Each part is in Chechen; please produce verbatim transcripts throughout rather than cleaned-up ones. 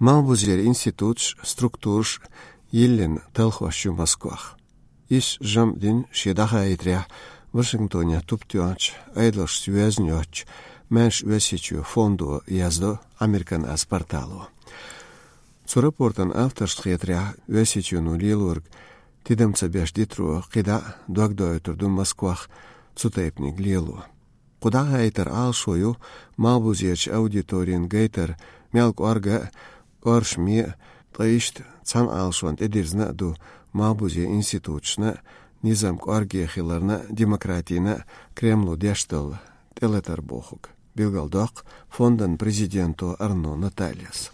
Малхбузера институташ, структураш йиллина талхош ю Москвах. Иш жамӀ дина шен дӀахаийтарехь Вашингтонехь туп тоьхначу Ӏедалшца йоьзна йоцчу «Маьрша Оьрсийчоь» фондо, яздо «Американ аз» портало. Цу рапортан авторшна хетарехь, Оьрсийчоьно лелориг тидам ца беш дитаро кхидӀа а догдоуьйтур ду Москвах цу тайпаниг лело. Кху дӀахаийтаран Ӏалашо ю малхбузерчу аудиторина гайтар мел кӀорга а, кӀоршаме а, ткъа иштта цхьана Ӏалашонна тӀедирзина а ду малхбузен институташна а, низам кӀорге хиларна а, демократина а Кремло деш долу тӀелатар бохург, билгалдоккху фондан президенто Арно Натальяс.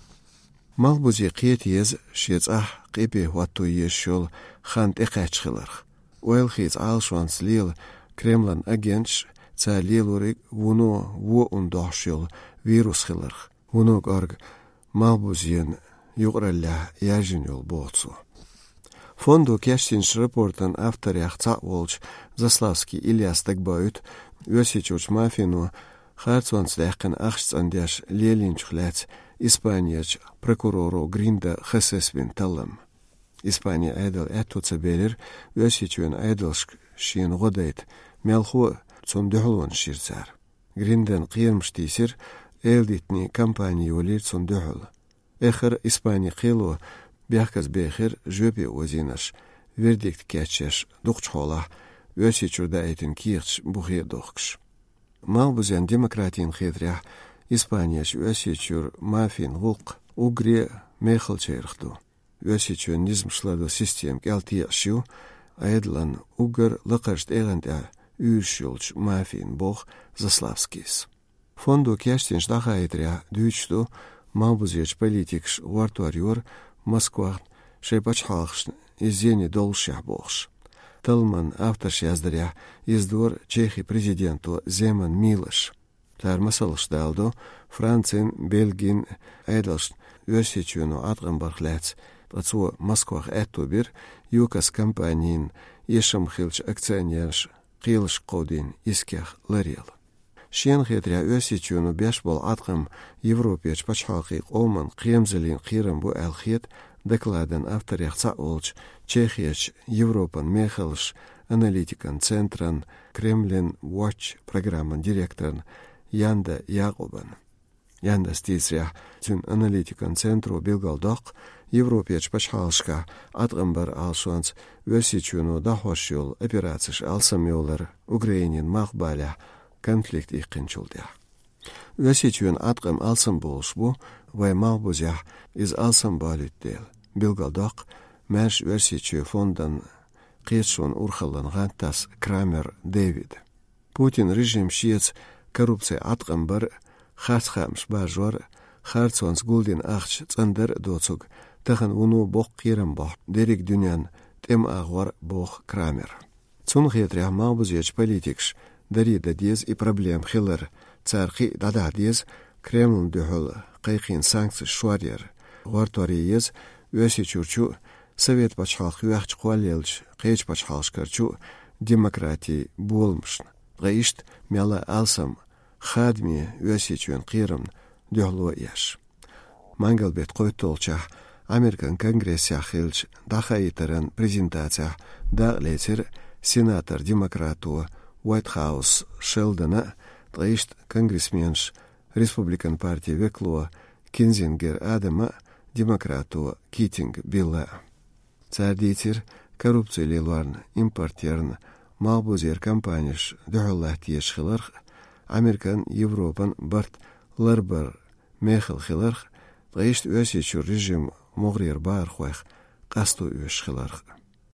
Малхбузе кхета еза шен цӀахь къепе хӀотто езаш йолу хан тӀекхаьчна хиларх. Ойла хийца Ӏалашонца лела Кремлан агенташ, цара лелориг вуно вон дохьуш йолу вирус хиларх, вуно кӀорга малхбузен юкъараллехь яьржина йолу, боху цо. Фондо кечдинчу рапортан авторех цхьаъ волчу Заславский Ильяс дагабоуьйту Оьрсийчуьрчу мафино харцонца даьккхина ахча цӀандеш лелийначух лаьцна Испанерчу прокуроро Гринда Хосес бина таллам. Испанин Ӏедал аьтто ца белира Оьрсийчоьнан Ӏедалшка шена гӀо дайта, мелхо а цунна дуьхьалонаш йира цара. Гриндан кхерамаш тийсира, эладитанийн кампани йолийра цунна дуьхьал. Эххар Испанин кхело бехказбехира жоьпе озийнарш, вердикт кечъеш, дукхачу хьолахь Оьрсийчуьра даийтина кехаташ бухе а дохкуш. Малхбузен демократина хетарехь, Испанерчу Оьрсийчуьра мафин гӀуллакх уггаре а мехалчарах ду. Оьрсийчоьнан низамаш лардо система кӀел текъаш ю, Ӏедалан уггар лакхарчу тӀегӀан тӀехь уьйраш йолчу мафина, боху Заславскийс. Фондо кечдинчу дӀахаийтарехь дуьйцуш ду малхбузерчу политикаша гӀортор йора Москвахна шайн пачхьалкхашна иза зене доллушехь бохуш. Талламан авторша яздарехь, иза дора Чехин президенто Земан Милоша. Цара масалш даладо Францин, Бельгин Ӏедалшна Оьрсийчоьно Ӏаткъам барх лаьцна, ткъа цо Москвах аьтто бира ЮКОС компанин эшам хиллачу акционераш кхелашка кховдийна искех ларъяла. Шена хетарехь, Оьрсийчоьно беш болу Ӏаткъам Европерчу пачхьалкхийн къоман кхерамзаллин кхерам бу аьлла хета докладан авторех цхьаъ волчу Чехерчу Европан мехаллаш аналитикан центран Кремлин Watch программан директорна Янда Якъубан. Яндас дийцарехь, цуьнан аналитикан центро билгалдоккху Европерчу пачхьалкхашкахь Ӏаткъам баран Ӏалашонца Оьрсийчоьно дӀахьош йолу операцеш алсамйолар Украинин малхбалехь конфликт иккхинчул тӀаьхьа. Оьрсийчоьнан Ӏаткъам алсамболуш бу вайн малхбузехь иза алсамбалуьйту дела, билгалдоккху «Маьрша Оьрсийчоь» фондан кхеташонан урхаллан гӀантдас Крамер Дэвида. Путин режим шеца коррупци, Ӏаткъам бар а, харц хаамаш баржор а, харцонца гулдина ахча цӀандар а доцург тахана вуно боккха кхерам бохьу дерриг дуьненна тӀеман агӀор а, боху Крамера. Цунна хетарехь, малхбузерчу политикаша даре дан деза и проблема хилар, цара кхин а дӀадахьа деза Кремлна дуьхьал кхайкхийна санкцеш шоръяр, гӀортор е еза Оьрсийчуьрчу а, Совет пачхьалкх йоьхча кхоллаеллачу кхечу пачхьалкхашкарчу а демократин боламашна, ткъа иштта мелла а алсам хадаме Оьрсийчоьнан кхерамна дуьхьало еш. Мангал беттан кхойтталгӀачохь Американ Конгрессехь хиллачу дӀахаийтаран презентацехь дакъа лецира сенатор-демократо Уайтхаус Шелдона а, ткъа иштта конгрессменаш республикан партин векало Кинзингер Адама а, демократо Китинг Билла а. Цара дийцира коррупци лелорна, импорт ярна малхбузера компанеш дуьхьал латта езаш хиларх а, Американ, Европан барт ларбар мехала хиларх а, ткъа иштта Оьрсийчуьра режим могӀарера бахархойх къасто оьшуш хиларх а.